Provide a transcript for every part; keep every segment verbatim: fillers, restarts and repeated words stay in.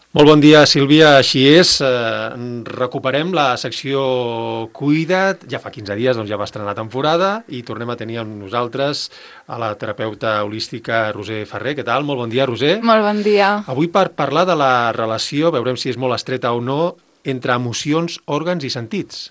Molt bon dia, Sílvia. Així és, eh, recuperem la secció Cuida't. Ja fa quinze dies, doncs ja va estrenar temporada i tornem a tenir amb nosaltres a la terapeuta holística Roser Ferrer. Què tal? Molt bon dia, Roser. Molt bon dia. Avui per parlar de la relació, veurem si és molt estreta o no, entre emocions, òrgans i sentits.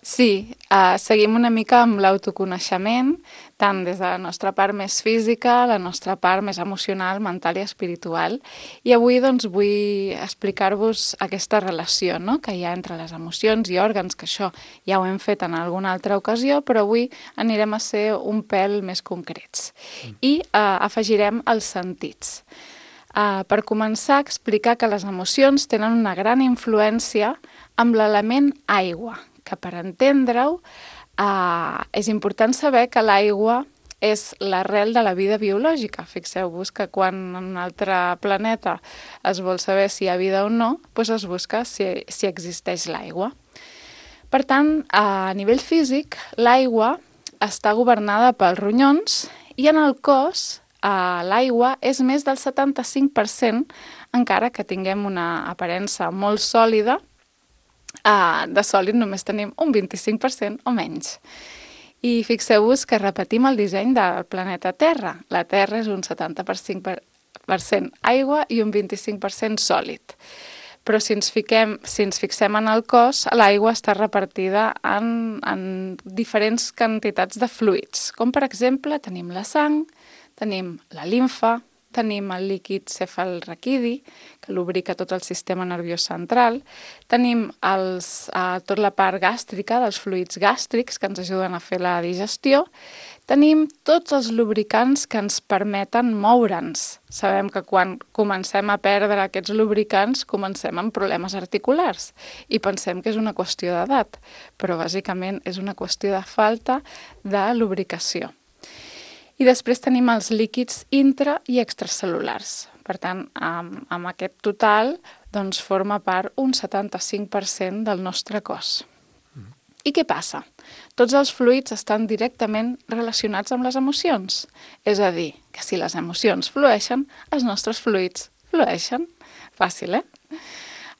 Sí, uh, seguim una mica amb l'autoconeixement, tant des de la nostra part més física, la nostra part més emocional, mental i espiritual. I avui doncs, vull explicar-vos aquesta relació, no?, que hi ha entre les emocions i òrgans, que això ja ho hem fet en alguna altra ocasió, però avui anirem a ser un pèl més concrets. Mm. I uh, afegirem els sentits. Uh, per començar, explicar que les emocions tenen una gran influència amb l'element aigua, que per entendre-ho eh, és important saber que l'aigua és l'arrel de la vida biològica. Fixeu-vos que quan en un altre planeta es vol saber si hi ha vida o no, doncs es busca si, si existeix l'aigua. Per tant, a nivell físic, l'aigua està governada pels ronyons i en el cos eh, l'aigua és més del setanta-cinc per cent, encara que tinguem una aparença molt sòlida. Uh, de sòlid només tenim un vint-i-cinc per cent o menys. I fixeu-vos que repetim el disseny del planeta Terra. La Terra és un setanta-cinc per cent aigua i un vint-i-cinc per cent sòlid. Però si ens, fiquem, si ens fixem en el cos, l'aigua està repartida en, en diferents quantitats de fluids, com per exemple tenim la sang, tenim la limfa, tenim el líquid cefalraquidi, que lubrica tot el sistema nerviós central, tenim els, eh, tota la part gàstrica, dels fluids gàstrics, que ens ajuden a fer la digestió, tenim tots els lubricants que ens permeten moure'ns. Sabem que quan comencem a perdre aquests lubricants, comencem amb problemes articulars i pensem que és una qüestió d'edat, però bàsicament és una qüestió de falta de lubricació. I després tenim els líquids intra- i extracel·lulars. Per tant, amb, amb aquest total doncs, forma part un setanta-cinc per cent del nostre cos. Mm. I què passa? Tots els fluids estan directament relacionats amb les emocions. És a dir, que si les emocions flueixen, els nostres fluids flueixen. Fàcil, eh?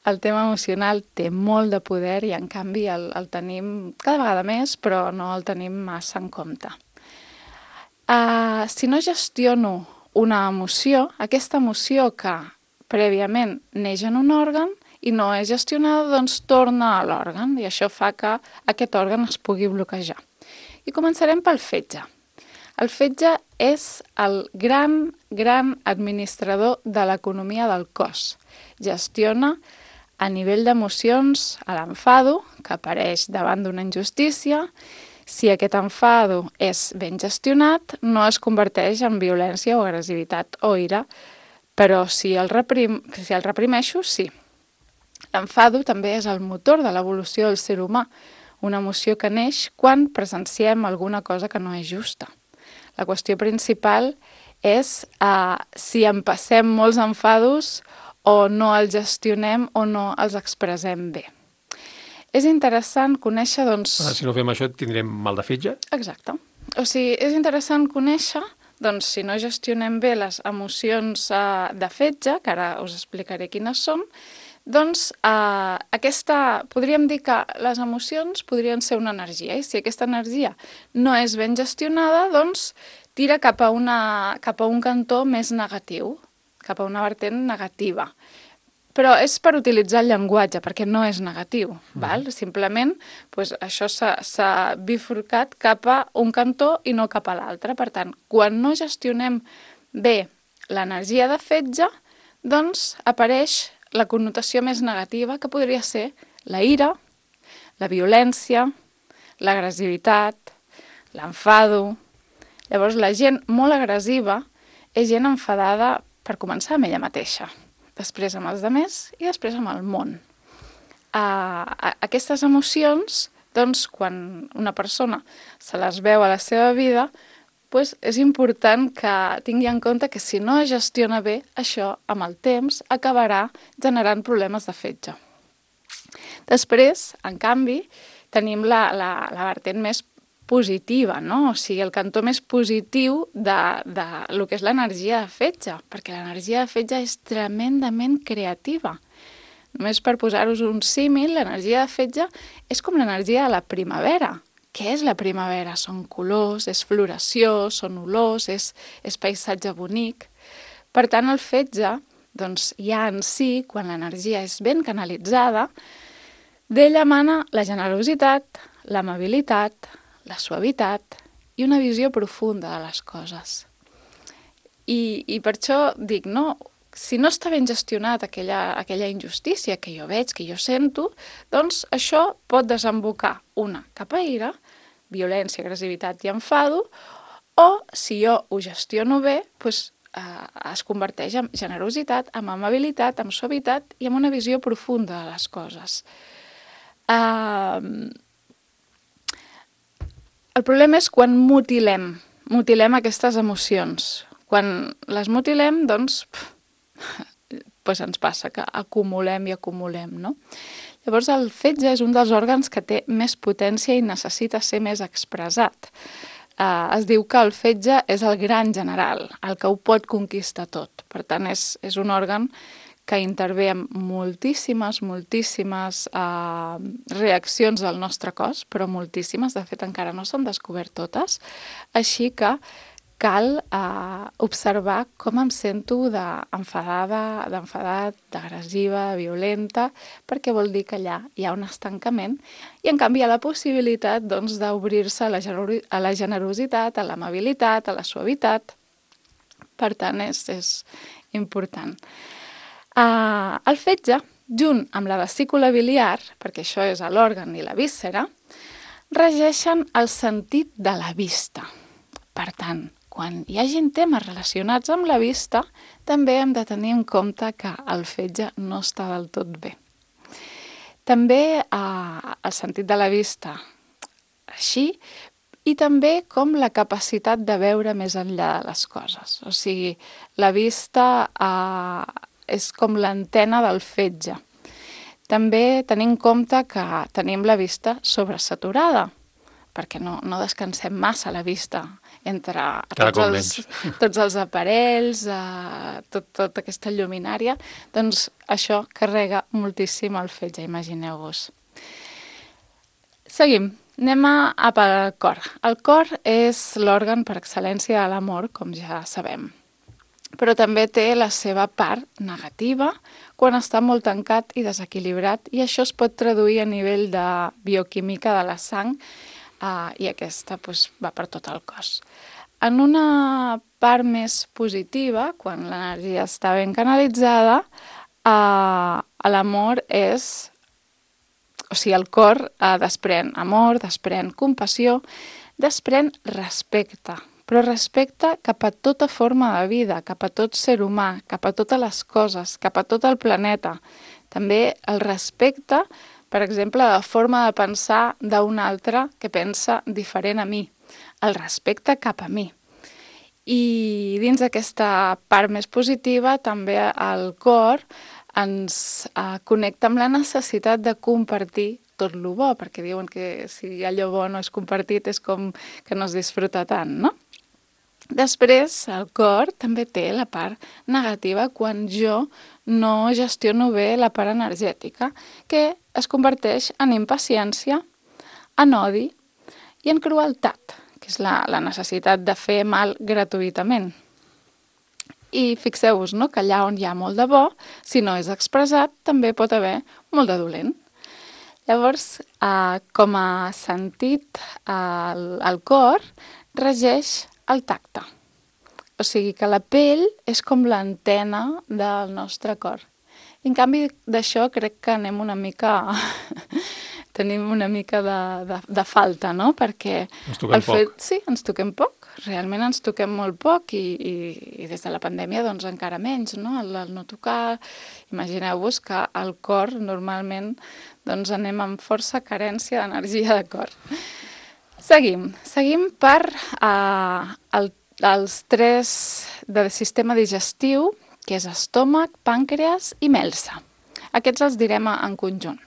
El tema emocional té molt de poder i, en canvi, el, el tenim cada vegada més, però no el tenim massa en compte. Uh, si no gestiono una emoció, aquesta emoció que prèviament neix en un òrgan i no és gestionada, doncs torna a l'òrgan i això fa que aquest òrgan es pugui bloquejar. I començarem pel fetge. El fetge és el gran, gran administrador de l'economia del cos. Gestiona a nivell d'emocions l'enfado, que apareix davant d'una injustícia. Si aquest enfado és ben gestionat, no es converteix en violència o agressivitat o ira, però si el, reprim, si el reprimeixo, sí. L'enfado també és el motor de l'evolució del ser humà, una emoció que neix quan presenciem alguna cosa que no és justa. La qüestió principal és eh, si en passem molts enfados o no els gestionem o no els expressem bé. És interessant conèixer, doncs... Ah, si no fem això tindrem mal de fetge? Exacte. O sigui, és interessant conèixer, doncs, si no gestionem bé les emocions eh, de fetge, que ara us explicaré quines són, doncs eh, aquesta, podríem dir que les emocions podrien ser una energia, i si aquesta energia no és ben gestionada, doncs tira cap a, una, cap a un cantó més negatiu, cap a una vertent negativa. Però és per utilitzar el llenguatge, perquè no és negatiu. Mm. Val? Simplement doncs, això s'ha bifurcat cap a un cantó i no cap a l'altre. Per tant, quan no gestionem bé l'energia de fetge, doncs apareix la connotació més negativa, que podria ser la ira, la violència, l'agressivitat, l'enfado. Llavors, la gent molt agressiva és gent enfadada, per començar, amb ella mateixa, després amb els altres i després amb el món. Uh, aquestes emocions, doncs, quan una persona se les veu a la seva vida, doncs és important que tingui en compte que si no es gestiona bé, això, amb el temps, acabarà generant problemes de fetge. Després, en canvi, tenim la, la, la vertent més positiva, no? O sigui, el cantó més positiu de, de lo que és l'energia de fetge, perquè l'energia de fetge és tremendament creativa. Només per posar-vos un símil, l'energia de fetge és com l'energia de la primavera. Què és la primavera? Són colors, és floració, són olors, és, és paisatge bonic. Per tant, el fetge, doncs, ja en si, quan l'energia és ben canalitzada, d'ella emana la generositat, l'amabilitat, la suavitat i una visió profunda de les coses. I, i per això dic, no, si no està ben gestionat aquella, aquella injustícia que jo veig, que jo sento, doncs això pot desembocar una cap a ira, violència, agressivitat i enfado, o si jo ho gestiono bé, doncs, eh, es converteix en generositat, en amabilitat, en suavitat i en una visió profunda de les coses. Uh, el problema és quan mutilem, mutilem aquestes emocions. Quan les mutilem, doncs, pues ens passa que acumulem i acumulem, no? Llavors, el fetge és un dels òrgans que té més potència i necessita ser més expressat. Uh, es diu que el fetge és el gran general, el que ho pot conquistar tot. Per tant, és, és un òrgan que intervé en moltíssimes, moltíssimes uh, reaccions del nostre cos, però moltíssimes, de fet encara no s'han descobert totes, així que cal eh, observar com em sento d'enfadada, d'enfadat, d'agressiva, violenta, perquè vol dir que allà hi ha un estancament i en canvi hi ha la possibilitat doncs, d'obrir-se a, la a la generositat, a l'amabilitat, a la suavitat. Per tant, és, és important. Uh, el fetge, junt amb la vesícula biliar, perquè això és l'òrgan i la víscera, regeixen el sentit de la vista. Per tant, quan hi hagin temes relacionats amb la vista, també hem de tenir en compte que el fetge no està del tot bé. També eh, el sentit de la vista així, i també com la capacitat de veure més enllà de les coses. O sigui, la vista eh, és com l'antena del fetge. També tenim en compte que tenim la vista sobresaturada, perquè no, no descansem massa la vista entre tots els, tots els aparells, eh, tot, tota aquesta lluminària, doncs això carrega moltíssim el fetge, imagineu-vos. Seguim, anem a, a pel cor. El cor és l'òrgan per excel·lència de l'amor, com ja sabem, però també té la seva part negativa quan està molt tancat i desequilibrat, i això es pot traduir a nivell de bioquímica de la sang, Uh, i aquesta pues, va per tot el cos. En una part més positiva, quan l'energia està ben canalitzada, uh, l'amor és... O sigui, el cor uh, desprèn amor, desprèn compassió, desprèn respecte, però respecte cap a tota forma de vida, cap a tot ser humà, cap a totes les coses, cap a tot el planeta. També el respecte, per exemple, la forma de pensar d'un altre que pensa diferent a mi, el respecte cap a mi. I dins d'aquesta part més positiva, també el cor ens eh, connecta amb la necessitat de compartir tot lo bo, perquè diuen que si allò bo no és compartit és com que no es disfruta tant, no? Després, el cor també té la part negativa quan jo no gestiono bé la part energètica, que es converteix en impaciència, en odi i en crueltat, que és la, la necessitat de fer mal gratuïtament. I fixeu-vos, no?, que allà on hi ha molt de bo, si no és expressat, també pot haver molt de dolent. Llavors, eh, com a sentit, eh, el, el cor regeix el tacte. O sigui que la pell és com l'antena del nostre cor. I en canvi d'això crec que anem una mica... tenim una mica de, de, de falta, no? Perquè ens toquem el fet, poc. Sí, ens toquem poc. Realment ens toquem molt poc i, i, i des de la pandèmia doncs encara menys, no? El, el no tocar... Imagineu-vos que al cor normalment doncs anem amb força carència d'energia de cor. Seguim. Seguim per uh, el, els tres del sistema digestiu, que és estómac, pàncreas i melsa. Aquests els direm en conjunt.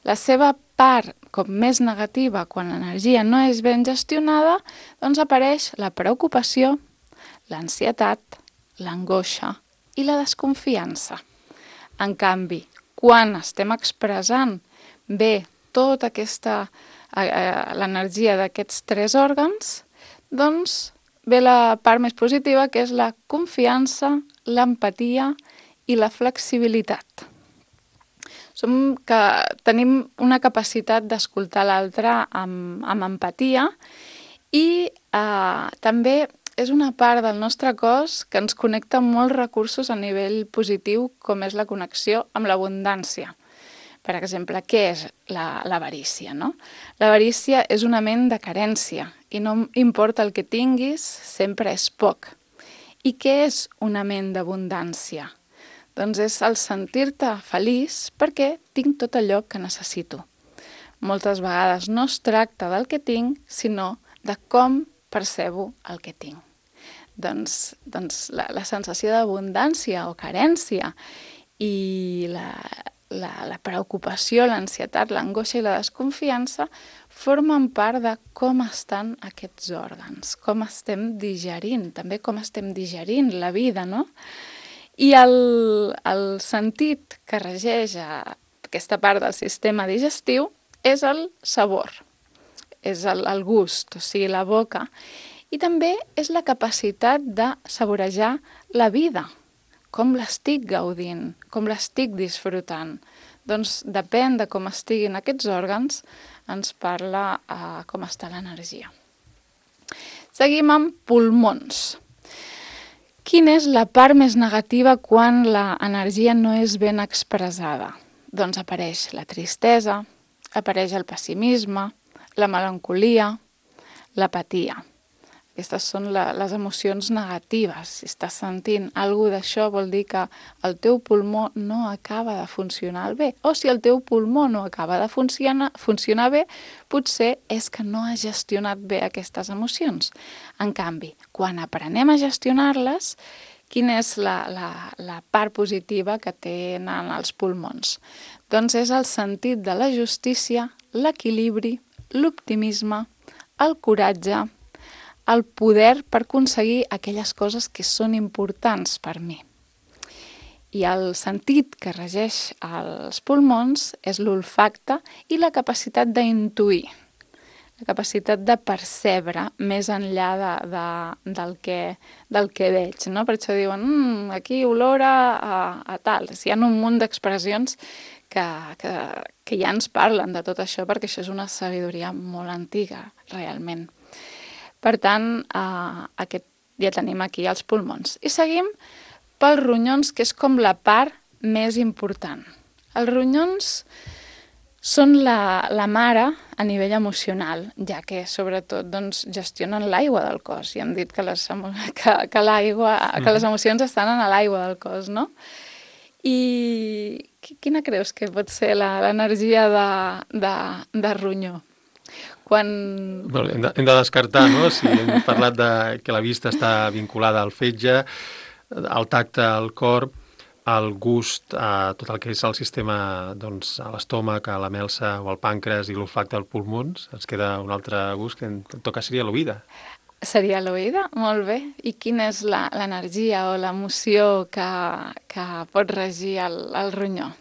La seva part com més negativa, quan l'energia no és ben gestionada, doncs apareix la preocupació, l'ansietat, l'angoixa i la desconfiança. En canvi, quan estem expressant bé tota aquesta, eh, l'energia d'aquests tres òrgans, doncs ve la part més positiva, que és la confiança, l'empatia i la flexibilitat. Som que tenim una capacitat d'escoltar l'altre amb, amb empatia i eh, també és una part del nostre cos que ens connecta amb molts recursos a nivell positiu, com és la connexió amb l'abundància. Per exemple, què és l'avarícia, no? L'avarícia és una ment de carència i no importa el que tinguis, sempre és poc. I què és una ment d'abundància? Doncs és el sentir-te feliç perquè tinc tot allò que necessito. Moltes vegades no es tracta del que tinc, sinó de com percebo el que tinc. Doncs, doncs la, la sensació d'abundància o carència i la, la, la preocupació, l'ansietat, l'angoixa i la desconfiança formen part de com estan aquests òrgans, com estem digerint, també com estem digerint la vida, no? I el, el sentit que regeix a aquesta part del sistema digestiu és el sabor, és el, el gust, o sigui, la boca, i també és la capacitat de saborejar la vida, com l'estic gaudint, com l'estic disfrutant. Doncs depèn de com estiguin aquests òrgans, ens parla uh, com està l'energia. Seguim amb pulmons. Quina és la part més negativa quan l'energia no és ben expressada? Doncs apareix la tristesa, apareix el pessimisme, la melancolia, l'apatia. Aquestes són la, les emocions negatives. Si estàs sentint alguna d'això vol dir que el teu pulmó no acaba de funcionar bé. O si el teu pulmó no acaba de funcionar, funcionar bé, potser és que no has gestionat bé aquestes emocions. En canvi, quan aprenem a gestionar-les, quina és la, la, la part positiva que tenen els pulmons? Doncs és el sentit de la justícia, l'equilibri, l'optimisme, el coratge, el poder per aconseguir aquelles coses que són importants per mi. I el sentit que regeix els pulmons és l'olfacte i la capacitat d'intuir, la capacitat de percebre més enllà de, de, del, que, del que veig, no? Per això diuen, mmm, aquí olora a, a tal. Hi ha un munt d'expressions que, que, que ja ens parlen de tot això, perquè això és una sabidoria molt antiga, realment. Per tant, eh, aquest, ja tenim aquí els pulmons. I seguim pels ronyons, que és com la part més important. Els ronyons són la, la mare a nivell emocional, ja que sobretot doncs, gestionen l'aigua del cos. I hem dit que les, que, que, l'aigua, que les emocions estan en l'aigua del cos, no? I quina creus que pot ser l'energia de, de, de ronyó? Quan... Bueno, hem, de, hem de descartar, no? Si hem parlat de que la vista està vinculada al fetge, al tacte, al cor, al gust, a tot el que és el sistema, doncs, a l'estómac, a la melsa o al pàncreas i l'olfacte als pulmons, ens queda un altre gust que en tot cas seria l'oïda. Seria l'oïda? Molt bé. I quina és l'energia o l'emoció que, que pot regir el, el ronyó?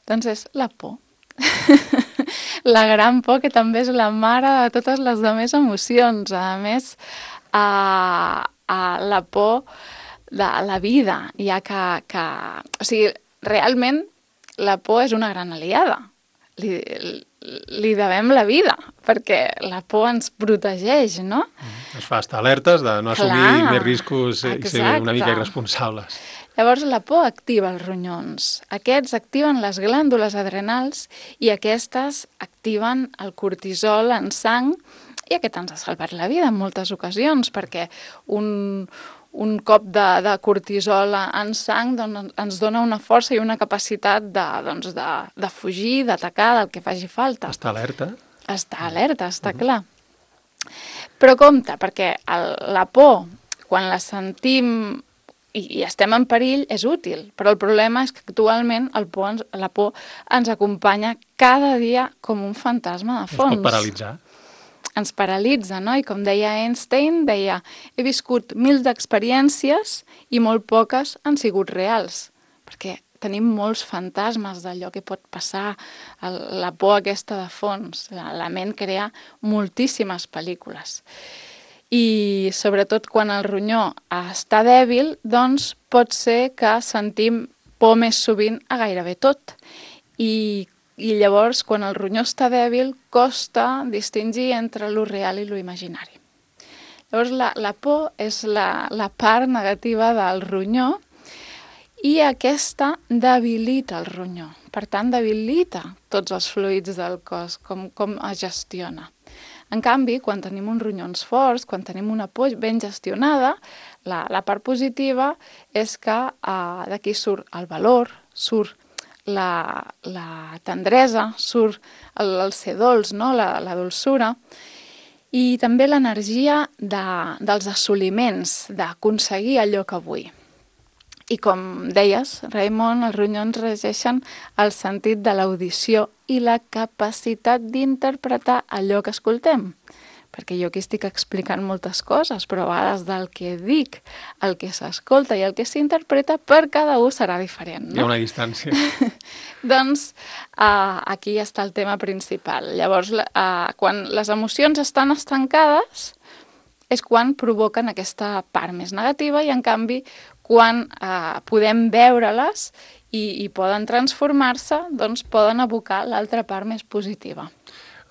Doncs és la por. La gran por, que també és la mare de totes les demés emocions. A més, a, a la por de la vida, ja que, que... O sigui, realment la por és una gran aliada. Li, li devem la vida, perquè la por ens protegeix, no? Ens fa estar alertes de no assumir Clar, més riscos i ser una mica irresponsables. Llavors, la por activa els ronyons. Aquests activen les glàndules adrenals i aquestes activen el cortisol en sang, i aquest ens ha salvat la vida en moltes ocasions, perquè un, un cop de, de cortisol en sang doncs, ens dona una força i una capacitat de, doncs, de, de fugir, d'atacar, del que faci falta. Està alerta. Està alerta, està uh-huh. clar. Però compte, perquè el, la por, quan la sentim i, i estem en perill, és útil. Però el problema és que actualment el por ens, la por ens acompanya cada dia com un fantasma de fons. Ens pot paralitzar. Ens paralitza, no? I com deia Einstein, deia, he viscut mil d'experiències i molt poques han sigut reals. Perquè tenim molts fantasmes d'allò que pot passar, el, la por aquesta de fons. La, la ment crea moltíssimes pel·lícules. I sobretot quan el ronyó està dèbil, doncs pot ser que sentim por més sovint a gairebé tot. I, i llavors, quan el ronyó està dèbil, costa distingir entre lo real i lo imaginari. Llavors, la, la por és la, la part negativa del ronyó i aquesta debilita el ronyó. Per tant, debilita tots els fluids del cos, com, com es gestiona. En canvi, quan tenim uns ronyons forts, quan tenim una por ben gestionada, la, la part positiva és que eh, d'aquí surt el valor, surt la, la tendresa, surt el, el ser dolç, no? la, la dolçura, i també l'energia de, dels assoliments, d'aconseguir allò que vull. I com deies, Raimon, els ronyons regeixen el sentit de l'audició i la capacitat d'interpretar allò que escoltem. Perquè jo aquí estic explicant moltes coses, però a vegades del que dic, el que s'escolta i el que s'interpreta per cada un serà diferent. No? Hi ha una distància. Doncs uh, aquí està el tema principal. Llavors, uh, quan les emocions estan estancades, és quan provoquen aquesta part més negativa i, en canvi, quan eh, podem veure-les i, i poden transformar-se, doncs poden evocar l'altra part més positiva.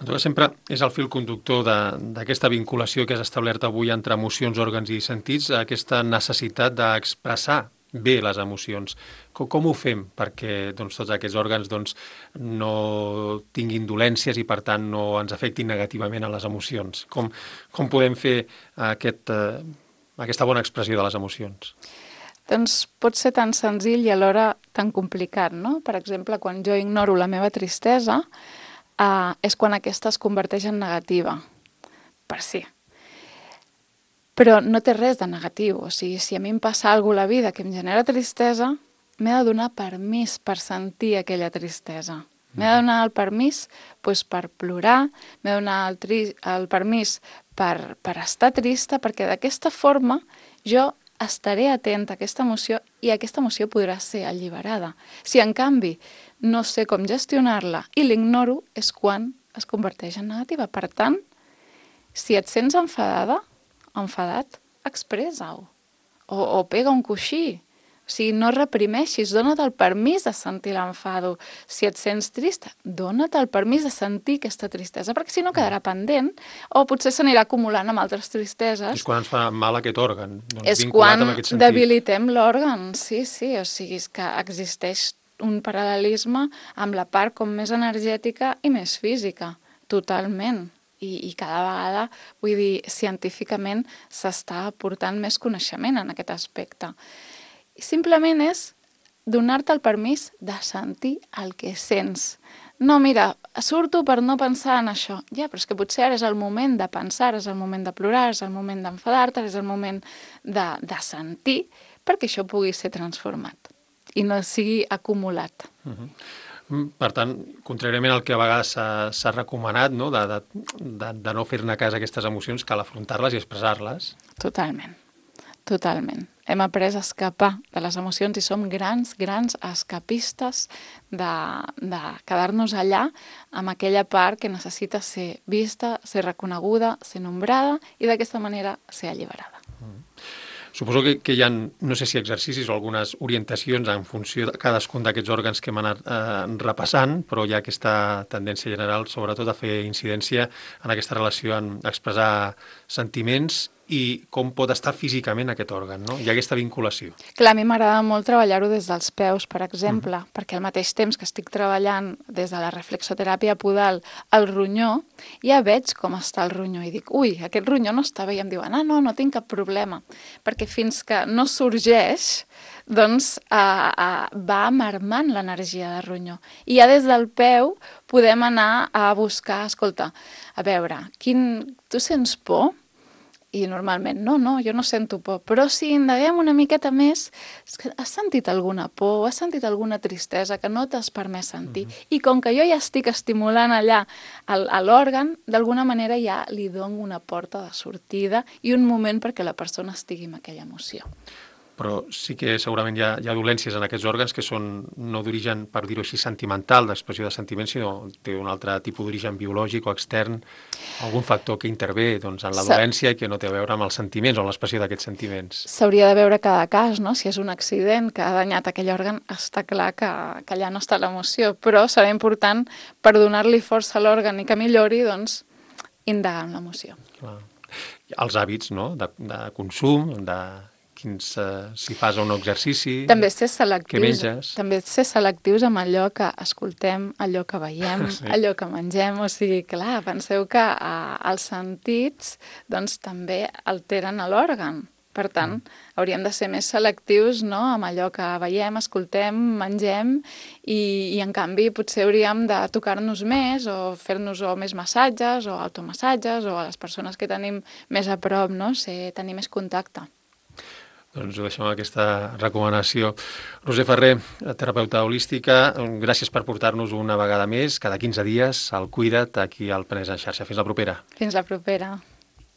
En tot cas, sempre és el fil conductor d'aquesta vinculació que has establert avui entre emocions, òrgans i sentits, aquesta necessitat d'expressar bé les emocions. Com, com ho fem perquè doncs, tots aquests òrgans doncs, no tinguin dolències i, per tant, no ens afectin negativament a les emocions? Com, com podem fer aquest, eh, aquesta bona expressió de les emocions? Doncs pot ser tan senzill i alhora tan complicat, no? Per exemple, quan jo ignoro la meva tristesa, eh, és quan aquesta es converteix en negativa, per si. Però no té res de negatiu, o sigui, si a mi em passa alguna cosa a la vida que em genera tristesa, m'he de donar permís per sentir aquella tristesa. M'he de donar el permís doncs, per plorar, m'he de donar el, tri el permís per, per estar trista, perquè d'aquesta forma jo estaré atenta a aquesta emoció i aquesta emoció podrà ser alliberada. Si, en canvi, no sé com gestionar-la i l'ignoro, és quan es converteix en negativa. Per tant, si et sents enfadada, enfadat, expressa-ho. O, o pega un coixí. O sigui, no reprimeixis, dona't el permís de sentir l'enfado. Si et sents trista, dona't el permís de sentir aquesta tristesa, perquè si no quedarà pendent, o potser s'anirà acumulant amb altres tristeses. És quan ens fa mal aquest òrgan. Doncs, és quan debilitem l'òrgan, sí, sí. O sigui, és que existeix un paral·lelisme amb la part com més energètica i més física, totalment. I, i cada vegada, vull dir, científicament s'està aportant més coneixement en aquest aspecte. Simplement és donar-te el permís de sentir el que sents. No, mira, surto per no pensar en això. Ja, però és que potser ara és el moment de pensar, és el moment de plorar, és el moment d'enfadar-te, és el moment de, de sentir, perquè això pugui ser transformat i no sigui acumulat. Uh-huh. Per tant, contràriament al que a vegades s'ha recomanat, no? de, de, de, de no fer-ne cas a aquestes emocions, cal afrontar-les i expressar-les. Totalment, totalment. Hem après a escapar de les emocions i som grans, grans escapistes de, de quedar-nos allà amb aquella part que necessita ser vista, ser reconeguda, ser nombrada i d'aquesta manera ser alliberada. Mm. Suposo que, que hi ha, no sé si exercicis o algunes orientacions en funció de cadascun d'aquests òrgans que hem anat eh, repassant, però hi ha aquesta tendència general, sobretot, a fer incidència en aquesta relació en expressar sentiments i com pot estar físicament aquest òrgan, no? Hi ha aquesta vinculació. Clar, a mi m'agrada molt treballar-ho des dels peus, per exemple, mm. perquè al mateix temps que estic treballant des de la reflexoteràpia podal el ronyó, ja veig com està el ronyó i dic, ui, aquest ronyó no està bé, i em diuen, ah, no, no tinc cap problema, perquè fins que no sorgeix, doncs eh, eh, va marmant l'energia de ronyó. I ja des del peu podem anar a buscar, escolta, a veure, quin... tu sents por? I normalment, no, no, jo no sento por. Però si indaguem una miqueta més, has sentit alguna por, has sentit alguna tristesa que no t'has permès sentir? Mm-hmm. I com que jo ja estic estimulant allà l'òrgan, d'alguna manera ja li dono una porta de sortida i un moment perquè la persona estigui en aquella emoció. però sí que segurament hi ha, hi ha dolències en aquests òrgans que són no d'origen, per dir-ho així, sentimental, d'expressió de sentiments, sinó té un altre tipus d'origen biològic o extern, algun factor que intervé doncs, en la dolència i que no té a veure amb els sentiments o l'expressió d'aquests sentiments. S'hauria de veure cada cas, no? Si és un accident que ha danyat aquell òrgan, està clar que, que allà no està l'emoció, però serà important per donar-li força a l'òrgan i que millori, doncs, indagar en l'emoció. Clar. Els hàbits, no?, de, de consum, de quins, uh, si fas un exercici, també ser selectius, què menges. També ser selectius amb allò que escoltem, allò que veiem, sí. allò que mengem. O sigui, clar, penseu que uh, els sentits doncs, també alteren l'òrgan. Per tant, mm. hauríem de ser més selectius, no?, amb allò que veiem, escoltem, mengem i, i en canvi potser hauríem de tocar-nos més o fer-nos o més massatges o automassatges o a les persones que tenim més a prop, no?, ser, tenir més contacte. Doncs ho deixem amb aquesta recomanació. Roser Ferrer, terapeuta holística, gràcies per portar-nos una vegada més, cada quinze dies, al Cuida't, aquí al Penedès en xarxa. Fins la propera. Fins la propera.